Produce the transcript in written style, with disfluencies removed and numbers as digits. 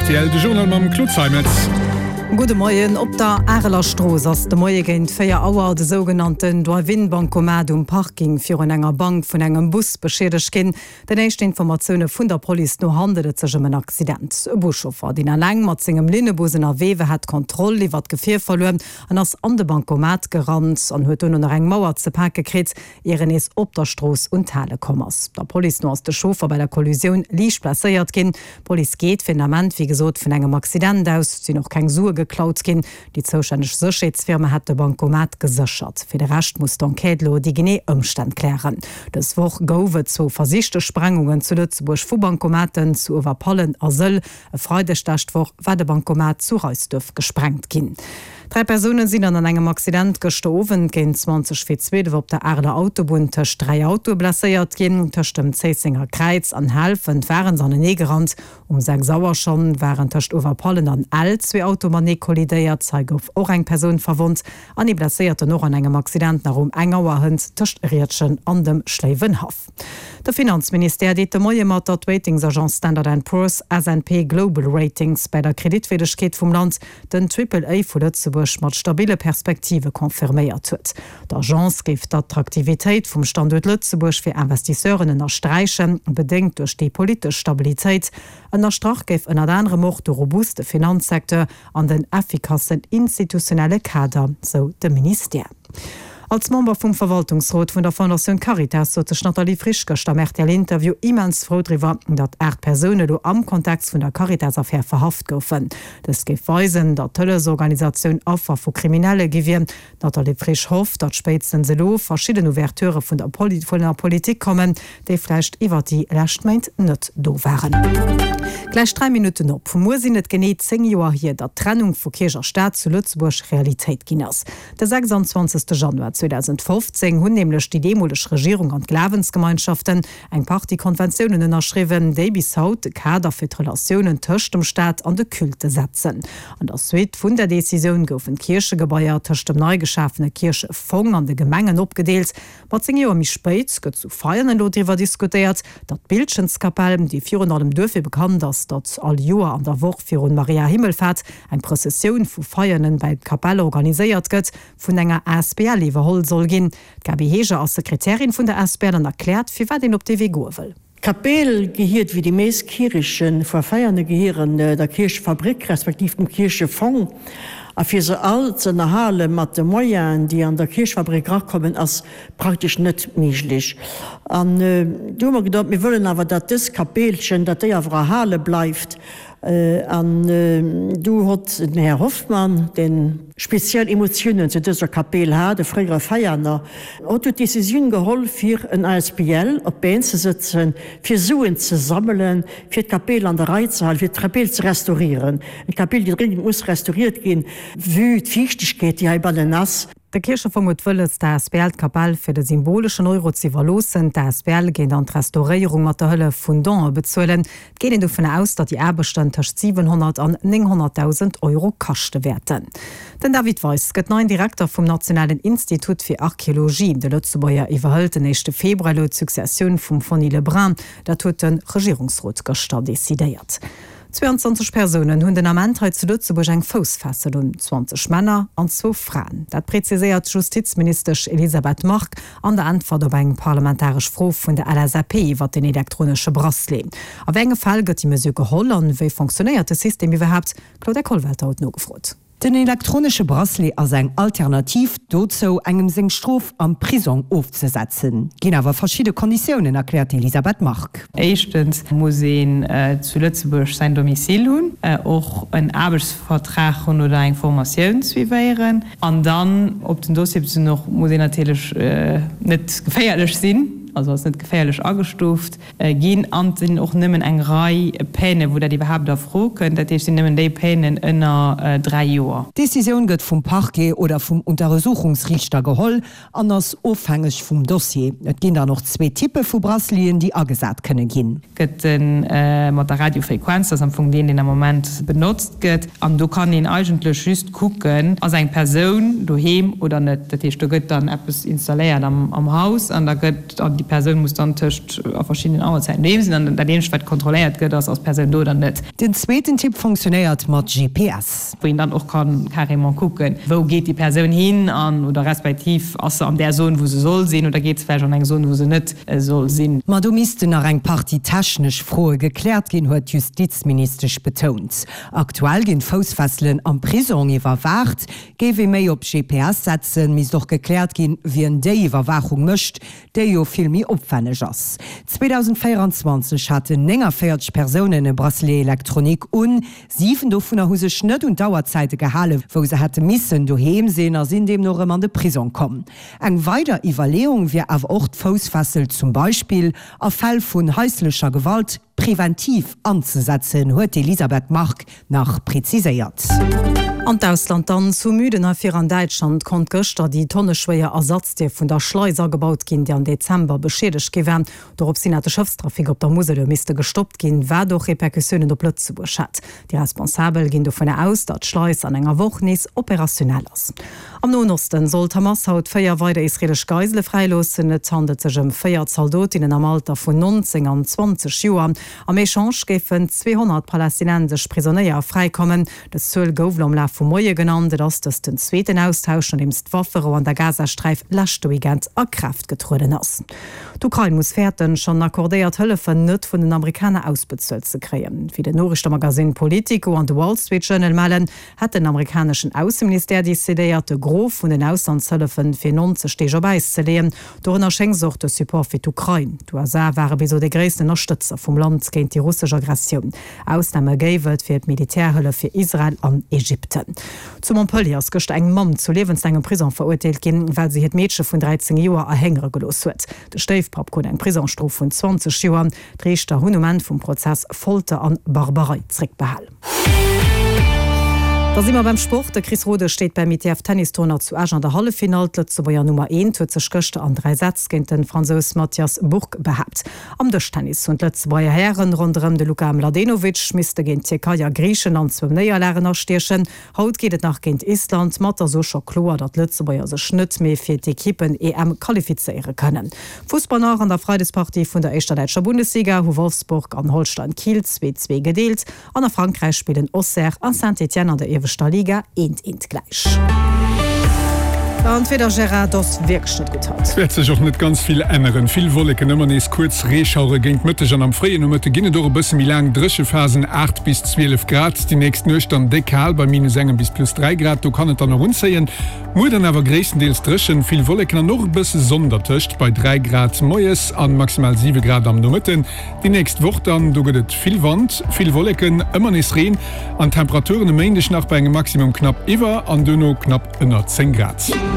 rtl, de Journal mam Claude Zeimetz. Gudde Moien. Op der Areler Strooss ass de Moie géint 4 Auer de sougenannten Drive-In-Bancomat um Parking virun enger Bank vun engem Bus beschiedegt ginn. Den éischten Informatioune vun der Police no handelt et sech ëm en Accident. E Buschauffer, deen eleng mat sengem Linnebus ënnerwee war, hat d'Kontroll iwwer d'Gefier verluer an ass an de Bancomat gerannt an huet dono nach eng Mauer ze pake kritt. ier en nees op der Strooss un d'Hale komm ass. Der Police no ass de Chauffer bei der Kollisioun liicht blesséiert ginn. D'Police geet fir den Ament wéi gesot vun engem Accident aus. Et sinn och keng Sue geklaut ginn. Déi zoustänneg Sécherheetsfirma hätt de Bancomat geséchert. Fir de Rescht muss d'Enquête elo déi genee Ëmstänn klären. Dës Woch gouf et zwou versichte Sprengungen zu Lëtzebuerg vu Bancomaten zu Uewerpallen a Sëll. E Freideg d'lescht Woch war de Bancomat zu Reisduerf gesprengt ginn. 3 Persoune sinn an an engem Accident gëschter Owend géint 20 vir 12 op der Areler Autobunn tëscht 3 Autoe blesséiert ginn. Tëscht dem Zéissenger Kräiz an Helfent ware se anenee gerannt. Um 6 Auer schonn waren tëscht Uewerpallen an Ell zwee Autoe matenee kollidéiert. Hei gouf och eng Persoun verwonnt an ee Blesséierten och an engem Accident nach um eng Auer hënt tëscht Riedgen an dem Schléiwenhaff. De Finanzministère deet de Moie mat, datt d'Ratingsagence Standard and Poor's, S&P Global Ratings, bäi der Kreditwierdegkeet vum Land den Triple A vu Lëtzebuerg mat stabille Perspektive confirméiert huet. D'Agence géif d'Attraktivitéit vum Standuert Lëtzebuerg fir Investisseuren ënnersträichen, bedéngt duerch déi politesch Stabilitéit. Ënnerstrach géif ënnert anerem och de robuste Finanzsecteur an den effikassen institutionelle Kader, sou de Ministère. Als Member vum Verwaltungsrot vun der Fondatioun Caritas sot sech d'Nathalie Frisch gëschter am RTL-Interview immens frou driwwer, datt 8 Persoune elo am Kontext vun der Caritas-Affär verhaft goufen. Dëst géif weisen, datt d'Hëllefsorganisatioun Affer vu Kriminelle gi wier. D'Nathalie Frisch hofft, datt spéitstens elo verschidden Ouverturë vun der Politik kommen, déi vläicht iwwert déi lescht Méint net do waren. Gläich 3 Minutten op. Muer sinn et genee 10 Joer hier, datt d'Trennung vu Kierch a Staat zu Lëtzebuerg Realitéit ginn ass. De 26 Januar 2015 hunn nämlech déi deemoleg Regierung an d'Glawensgemeinschaften eng Partie Konventiounen ënnerschriwwen, déi bis haut de Kader fir d'Relatiounen tëscht dem Staat an de Culte setzen. An der Suite vun der Decisioun goufen d'Kierchegebaier tëscht dem nei geschafene Kierchefong an de Gemengen opgedeelt. Ma 10 Joer méi spéit gëtt zu Veianen elo driwwer diskutéiert, datt d'Bildchenskapell, déi virun allem duerfir bekannt ass, datt all Joer an der Woch virun Maria Himmelfahrt eng Prëssessioun vu Veianen bäi d'Kapell organiséiert gëtt, vun enger asbl iwwerholl soll ginn. D'Gaby Heger ass Sekretärin vun der asbl an erkläert, firwat een op dee Wee goe wëll. D'Kapell gehiert wéi déi meest Kierche vu Veiane gehieren der Kierchefabrik respektiv dem Kierchefong a fir se all ze ënnerhale mat de Moyenen déi an der Kierchefabrik erakommen ass praktesch net méiglech. An du hu mer geduet, mir wëllen awer datt dës Kapellchen, datt déi awer erhale bleift An du hott den Här Hoffmann, deen speziell Emotiounen zu dëser Kapell hat, e fréiere Veianer, hott du d'Decisioun geholl fir en asbl op d'Been ze sëtzen, fir Suen ze sammelen, fir d'Kapell an der Rei ze halen, fir d'Kapell ze restaurieren. Eng Kapell, déi dringend muss restauriert ginn, vue d'Fiichtegkeet, déi heibannen ass. De Kierchefong huet wëlles, d'ASBL d'Kapell fir de symboleschen Euro ze iwwerloossen. D'ASBL géing dann d'Restauréierung mat der Hëllef vun Donë bezuelen. Et geet een dovun aus, datt déi Aarbechten tëscht 700 an 900.000 Euro kaschte wäerten. Den David Weis gëtt neien Direkter vum Nationalen Institut fir Archeologie. De Lëtzebuerger iwwerhëlt den éischte Februar elo d'Successioun vum Foni Lebrun. Dat huet de Regierungsrot gëschter decidéiert. 22 Persounen hunn den Ament hei zu Lëtzebuerg eng Foussfessel un, 20 Männer an zwou Fraen. Dat präziséiert d'Justizministesch Elisabeth Margue an der Äntwert op eng parlamentaresch Fro vun der LSAP iwwert den elektronesche Bracelet. A wéi enge Fäll gëtt déi Mesure geholl an wéi fonctionnéiert de System iwwerhaapt? D'Claudia Kollwelter huet nogefrot. Den elektronesche Bracelet ass eng Alternativ dozou, engem seng Strof am Prisong ofzesetzen. Ginn awer verschidde Konditiounen, erkläert d'Elisabeth Margue. Éischtens muss een zu Lëtzebuerg säin Domicile hunn, och en Aarbechtsvertrag hunn oder eng Formatioun suivéieren. An dann op den Dossier bezunn och muss een natierlech net geféierlech sinn, also als net geféierlech agestuuft. Ginn an et sinn och nëmmen eng Rei Peine wou dat iwwerhaapt a Fro kënnt, dat heescht et sinn nëmmen déi Peinen ënner 3 Joer. D'Decisioun gëtt vum Parquet oder vum Unteresuchungsriichter geholl an ass ofhängeg vum Dossier. Et ginn dann och zwee Typpe vu Braceleten, déi agesat kënne ginn. Gëtt e mat der Radiofrequenz, dat ass am Fong deen, deen am Moment benotzt gëtt. An do kann een eigentlech just kucken, ass eng Persoun doheem oder net. Dat heescht, do gëtt dann eppes installéiert am Haus an da gëtt. déi Persoun muss dann tëscht a verschiddenen Auerzäiten doheem sinn an dat eenzegt wat kontrolléiert gëtt ass, ass d'Persoun do oder net. Den zweeten Typ funktionéiert mat GPS. Wou een dann och ka carrément kucken, wou geet déi Persoun hin an oder respektiv ass se an där Zone wou se soll sinn oder geet se vläicht an eng Zone wou se net soll sinn. Ma do missten nach eng Partie technesch Froe gekläert ginn, huet d'Justizministesch betount. Aktuell ginn d'Foussfesselen am Prisong iwwerwaacht. Géif ee méi op GPS setzen, misst och gekläert ginn, wien déi Iwwerwaachung mécht, déi jo vill méi opwenneg ass. 2024 haten 49 Persounen e Bracelet électronique un. 7 dovunner hu sech net un d'Auerzäite gehalen, wou se hätte missen doheem sinn a sinn deemno erëm an de Prisong komm. Eng weider Iwwerleeung wier awer och, d'Foussfessel zum Beispill a Fäll vun haislecher Gewalt preventiv anzesetzen, huet d'Elisabeth Margue nach preziséiert. An d'Ausland dann, Zu Müden hei vir an Däitschland konnt gëschter déi tonneschwéier Ersatzdier vun der Schleis agebaut ginn, déi am Dezember beschiedegt gi war. Doropshin hat de Schëffstrafic op der Musel elo misste gestoppt ginn, wat och Repercussiounen op Lëtzebuerg hat. Déi Responsabel ginn dovunner aus, datt d'Schleis an enger Woch nees operationell ass. Am Noen Osten soll d'Hamas haut 4 weider israeelesch Geisele fräiloossen. Et handelt sech ëm 4 Zaldotinnen am Alter vun 19 an 20 Joer. Am Echange géifen 200 palästinensesch Prisonéier fräikommen. Dës Zuel gouf elo am Laf vum Moie genannt. Et ass dëst den zweeten Austausch, nodeems d'Wafferou an der Gazasträif leschte Weekend a Kraaft getrueden ass. D'Ukrain muss fäerten, schonn accordéiert Hëllefen net vun den Amerikaner ausbezuelt ze kréien. Wéi den Noriichtemagasinn Politico an de Wall Street Journal mellen, hätt den amerikaneschen Ausseministère decidéiert, de Gros vun den Auslandshëllefen fir 90 Deeg op Äis ze leeën. Dorënner schéngs och de Support fir d'Ukrain. D'USA ware bis elo dee gréissten Ënnerstëtzer vum Land géint déi russesch Aggressioun. Ausname géif et fir d'Militärhëllef fir Israel an Ägypten. Zu Montpellier ass gëschter eng Mamm zu liewenslaangem Prisong verurteelt ginn, well se hiert Meedche vun 13 Joer erhéngere gelooss huet. De Stéifpapp krut eng Prisongsstrof vun 20 Joer. D'Riichter hunn um Enn vum Prozess Folter an Barbarei zréckbehal. Da si mer beim Sport. De Chris Rodesch steet beim ITF Tennis Tournoi zu Esch an der Halleffinall. D'Lëtzebuerger Nummer eent huet sech gëschter an 3 Sätz géint de Fransous Mathias Bourgue behaapt. Am Dëschtennis hunn d'Lëtzebuerger Hären ronderëm de Luka Mladenovic misste géint d'Tierkei a Griichenland zwou Néierlagen astiechen. Haut geet et nach géint Island, ma et ass o scho kloer, datt d'Lëtzebuerger sech net méi fir d'Ekippen-EM qualifizéiere kënnen. Fussball nach, An der Freidespartie vun der éischter däitscher Bundesliga hu Wolfsburg an Holstein Kiel 2, 2 gedeelt an a Frankräich spillen Auxerre a Saint-Étienne an der ieweschter Liga eent, eent gläich. An d'Wieder, Gérard, et ass wierklech net gutt haut. Et wäert sech och net ganz vill änneren. Vill Wolleken, ëmmer nees kuerz Reeschauere géint Mëtteg an am fréien Nomëtte ginn et och e bësse méi laang Dréchephasen, 8 bis 12 Grad. Déi nächst Nuecht dann déck kal bei minus engem bis plus 3 Grad, do kann et dann och unzéien. Muer dann awer gréisstendeels dréchen, vill Wolleken an och e bësse Sonn dertëscht bei 3 Grad moies an maximal 7 Grad am Nomëtten. Déi nächst Woch dann, do gëtt et vill Wand, vill Wolleken, ëmmer nees Reen an Temperaturen e Méindeg nach bei engem Maximum knapp iwwer an duerno knapp ënner 10 Grad.